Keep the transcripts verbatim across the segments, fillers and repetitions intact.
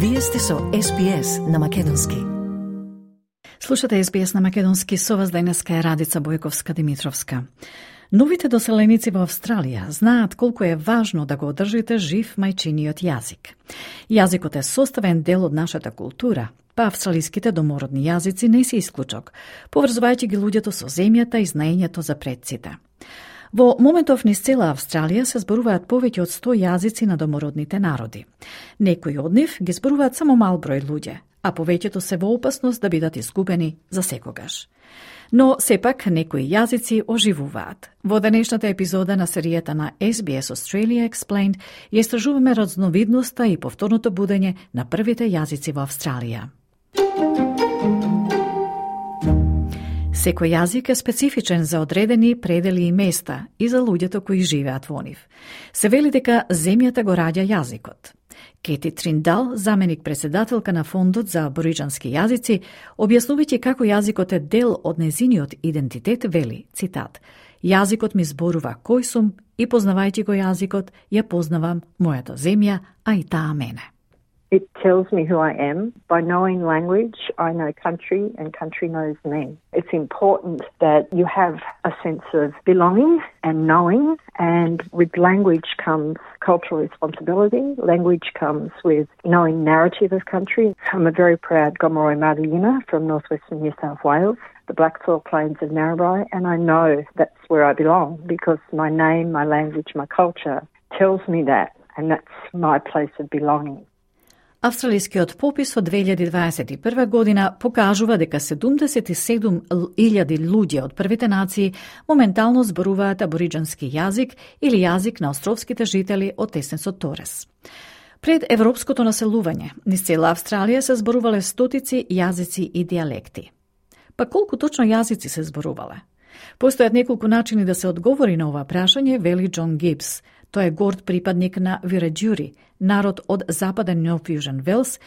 Вие сте со Ес Би Ес на Македонски. Слушате Ес Би Ес на Македонски, со вас денеска е Радица Бојковска-Димитровска. Новите доселеници во Австралија знаат колку е важно да го одржите жив мајчиниот јазик. Јазикот е составен дел од нашата култура, па австралиските домородни јазици не се исклучок, поврзувајќи ги луѓето со земјата и знаењето за предците. Во моментов низ цела Австралија се зборуваат повеќе од сто јазици на домородните народи. Некои од нив ги зборуваат само мал број луѓе, а повеќето се во опасност да бидат изгубени за секогаш. Но сепак некои јазици оживуваат. Во денешната епизода на серијата на Ес Би Ес Australia Explained ја истражуваме разновидноста и повторното будење на првите јазици во Австралија. Секој јазик е специфичен за одредени предели и места и за луѓето кои живеат во нив. Се вели дека земјата го раѓа јазикот. Кети Триндал, заменик председателка на Фондот за абориџански јазици, објаснувајќи како јазикот е дел од незиниот идентитет, вели, цитат: "Јазикот ми зборува кој сум и познавајќи го јазикот, ја познавам мојата земја, а и таа мене." It tells me who I am. By knowing language, I know country and country knows me. It's important that you have a sense of belonging and knowing, and with language comes cultural responsibility. Language comes with knowing narrative of country. I'm a very proud Gomeroi Maruyina from northwestern New South Wales, the Black Soil Plains of Narrabri, and I know that's where I belong because my name, my language, my culture tells me that, and that's my place of belonging. Австралискиот попис од две илјади дваесет и прва година покажува дека седумдесет и седум илјади луѓе од првите нации моментално зборуваат абориџански јазик или јазик на островските жители од Тесенсот Торес. Пред европското населување, низ цела Австралија се зборувале стотици јазици и дијалекти. Па колку точно јазици се зборувале? Постојат неколку начини да се одговори на ова прашање, вели Џон Гибс. Тој е горд припадник на Виреџури, народ од западен Нов Јужен Велс,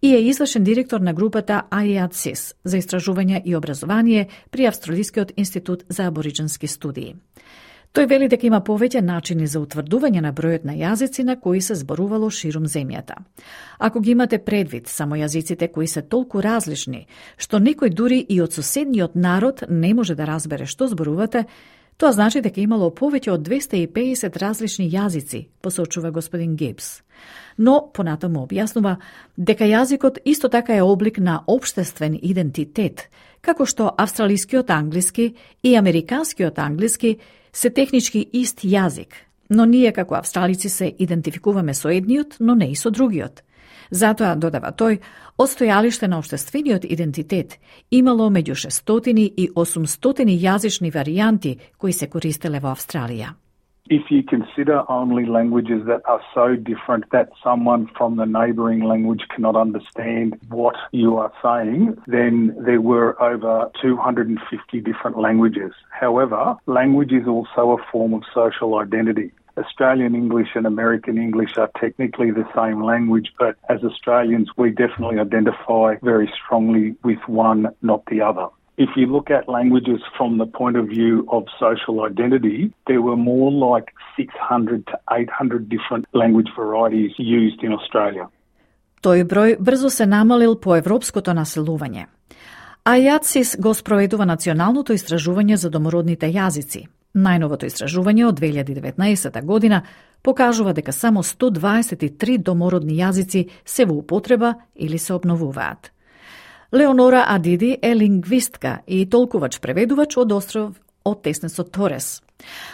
и е извршен директор на групата Ай И Ей Си Ес за истражување и образование при Австралискиот институт за абориџански студии. Тој вели дека има повеќе начини за утврдување на бројот на јазици на кои се зборувало ширум земјата. Ако ги имате предвид само јазиците кои се толку различни, што некој дури и од соседниот народ не може да разбере што зборувате, тоа значи дека имало повеќе од двесте и педесет различни јазици, посочува господин Гибс. Но, понатаму објаснува, дека јазикот исто така е облик на општествен идентитет, како што австралискиот англиски и американскиот англиски се технички ист јазик, но ние како австралици се идентификуваме со едниот, но не и со другиот. Затоа, додава тој, од стојалиште на општествениот идентитет имало меѓу шестстотини и осумстотини јазични варијанти кои се користеле во Австралија. If you consider only languages that are so different that someone from the neighbouring language cannot understand what you are saying, then there were over two hundred fifty different languages. However, language is also a form of social identity. Australian English and American English are technically the same language, but as Australians, we definitely identify very strongly with one, not the other. If you look at languages from the point of view of social identity, there were more like six hundred to eight hundred different language varieties used in Australia. Тој број брзо се намалил по европското населување. Ай И Ей Си Ес го спроведува националното истражување за домородните јазици. Најновото истражување од две илјади и деветнаесета година покажува дека само сто дваесет и три домородни јазици се во употреба или се обновуваат. Леонора Адиди е лингвистка и толкувач-преведувач од остров од Тесенсот Торес.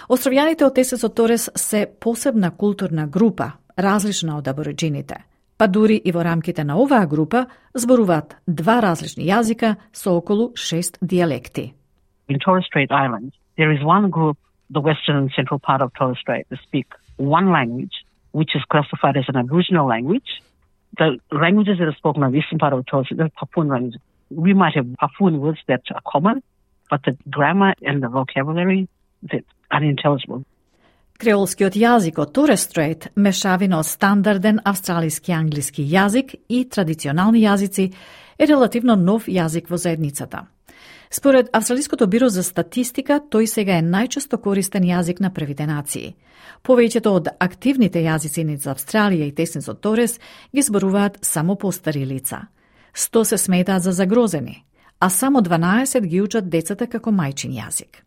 Островјаните од Тесенсот Торес се посебна културна група, различна од абориџините, па дури и во рамките на оваа група зборуваат два различни јазика со околу шест дијалекти. In Torres Strait Islands, there is one group, the western and central part of Torres Strait, that speak one language, which is classified as an Aboriginal language. The languages that are spoken on the eastern part of Torres Strait, they're Papuan languages. We might have Papuan words that are common, but the grammar and the vocabulary, they're unintelligible. Креолскиот јазик од Торес Стрейт, мешавина од стандарден австралиски англиски јазик и традиционални јазици, е релативно нов јазик во заедницата. Според Австралиското биро за статистика, тој сега е најчесто користен јазик на првите нации. Повеќето од активните јазици низ Австралија и теснисот Торес ги зборуваат само постари лица. сто се сметаат за загрозени, а само дванаесет ги учат децата како мајчин јазик.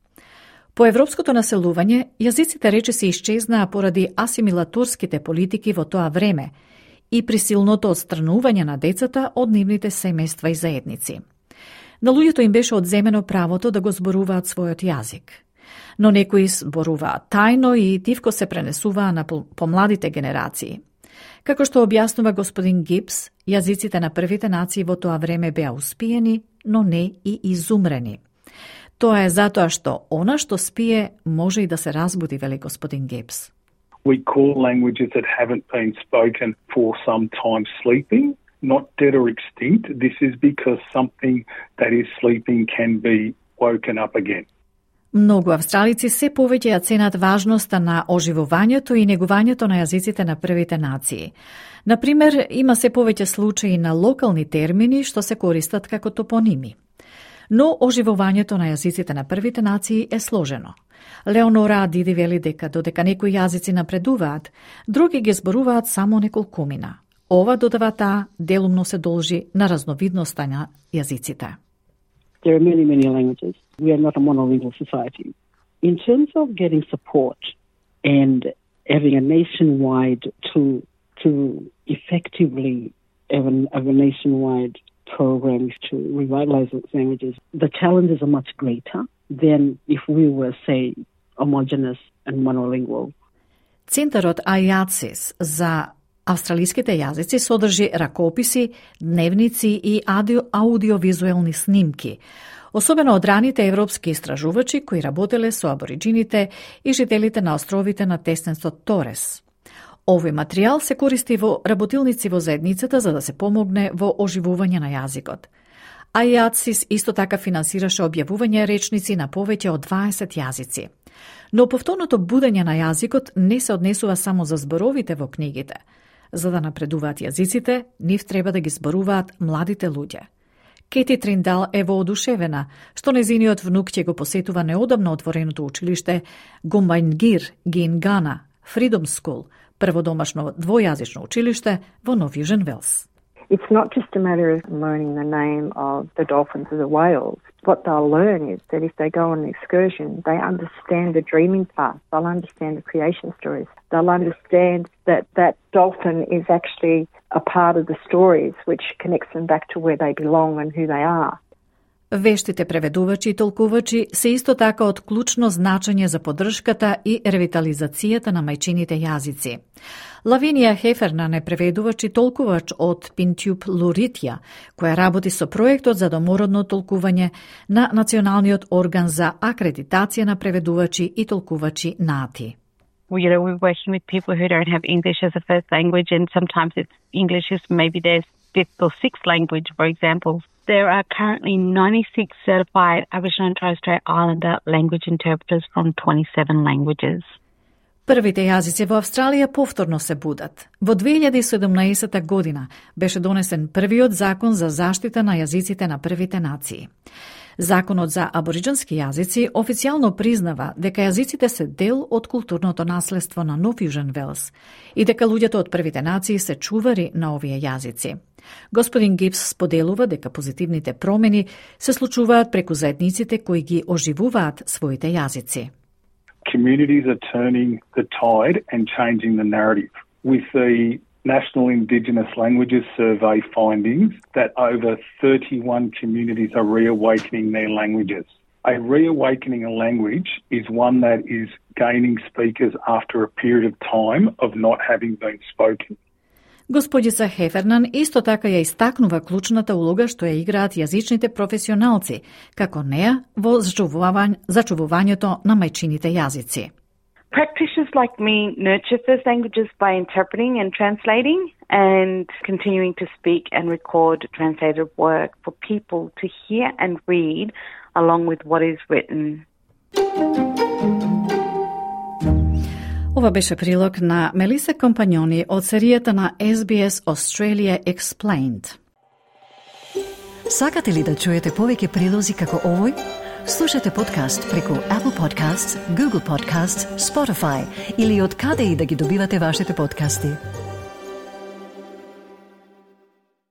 По европското населување, јазиците речиси исчезнаа поради асимилаторските политики во тоа време и присилното отстранување на децата од нивните семејства и заедници. На луѓето им беше одземено правото да го зборуваат својот јазик. Но некои зборуваат тајно и тивко се пренесуваа на помладите генерации. Како што објаснува господин Гипс, јазиците на првите нации во тоа време беа успиени, но не и изумрени. Тоа е затоа што она што спие може и да се разбуди, вели господин Гипс. We call languages that haven't been spoken for some time sleeping, not dead or extinct. This is because something that is sleeping can be woken up again. Многу австралици се повеќе ја ценат важноста на оживувањето и негувањето на јазиците на првите нации. Например, има се повеќе случаи на локални термини што се користат како топоними. Но оживувањето на јазиците на првите нации е сложено. Леонора Диди вели дека додека некои јазици напредуваат, други ги зборуваат само неколкумина. Ова, додава таа, делумно се должи на разновидноста на јазиците. There are many, many languages. We are not a monolingual society. In terms of getting support and having a nationwide to to effectively have a, have a nationwide program to revitalize those languages, the challenges are much greater than if we were, say, homogeneous and monolingual. Центарот АјАЦИС за австралиските јазици содржи ракописи, дневници и аудиовизуелни снимки, особено од раните европски истражувачи кои работеле со абориджините и жителите на островите на тесненствот Торес. Овој материјал се користи во работилници во заедницата за да се помогне во оживување на јазикот. АјАЦИС исто така финансираше објавување речници на повеќе од дваесет јазици. Но повторното будење на јазикот не се однесува само за зборовите во книгите. За да напредуваат јазиците, нив треба да ги зборуваат младите луѓе. Кети Триндал е воодушевена што незиниот внук ќе го посетува неодамно отвореното училиште Гумбајнгир Гингана Freedom School, прводомашно двојазично училиште во Нов Јужен Велс. It's not just a matter of learning the name of the dolphins or the whales. What they'll learn is that if they go on an excursion, they understand the dreaming path, they'll understand the creation stories, they'll understand that that dolphin is actually a part of the stories which connects them back to where they belong and who they are. Вештите преведувачи и толкувачи се исто така од клучно значење за поддршката и ревитализацијата на мајчините јазици. Лавинија Хефернан е преведувач и толкувач од Пинтюб Луритја, која работи со проектот за домородно толкување на Националниот орган за акредитација на преведувачи и толкувачи НАТИ. Well, you know, we're working with people who don't have English as a first language, and sometimes it's English is maybe their fifth or sixth language, for example. There are currently ninety-six certified Aboriginal and Torres Strait Islander language interpreters from twenty-seven languages. Првите јазици во Австралија повторно се будат. Во две илјади и седумнаесета година беше донесен првиот закон за заштита на јазиците на првите нации. Законот за абориджински јазици официјално признава дека јазиците се дел од културното наследство на Нов Јужен Велс и дека луѓето од првите нации се чувари на овие јазици. Господин Гипс споделува дека позитивните промени се случуваат преку заедниците кои ги оживуваат своите јазици. Communities are turning the tide and changing the narrative. With the National Indigenous Languages Survey findings that over thirty-one communities are reawakening their languages. A reawakening a language is one that is gaining speakers after a period of time of not having been spoken. Господица Хефернан исто така ја истакнува клучната улога што ја играат јазичните професионалци, како неа во зачувување, зачувувањето на мајчините јазици. Practitioners like me nurture first languages by interpreting and translating and continuing to speak and record translated work for people to hear and read along with what is written. Ова беше прилог на Мелиса Компањони од серијата на Ес Би Ес Australia Explained. Сакате ли да чуете повеќе прилози како овој? Слушате подкаст преку Apple Podcasts, Google Podcasts, Spotify или од каде и да ги добивате вашите подкасти.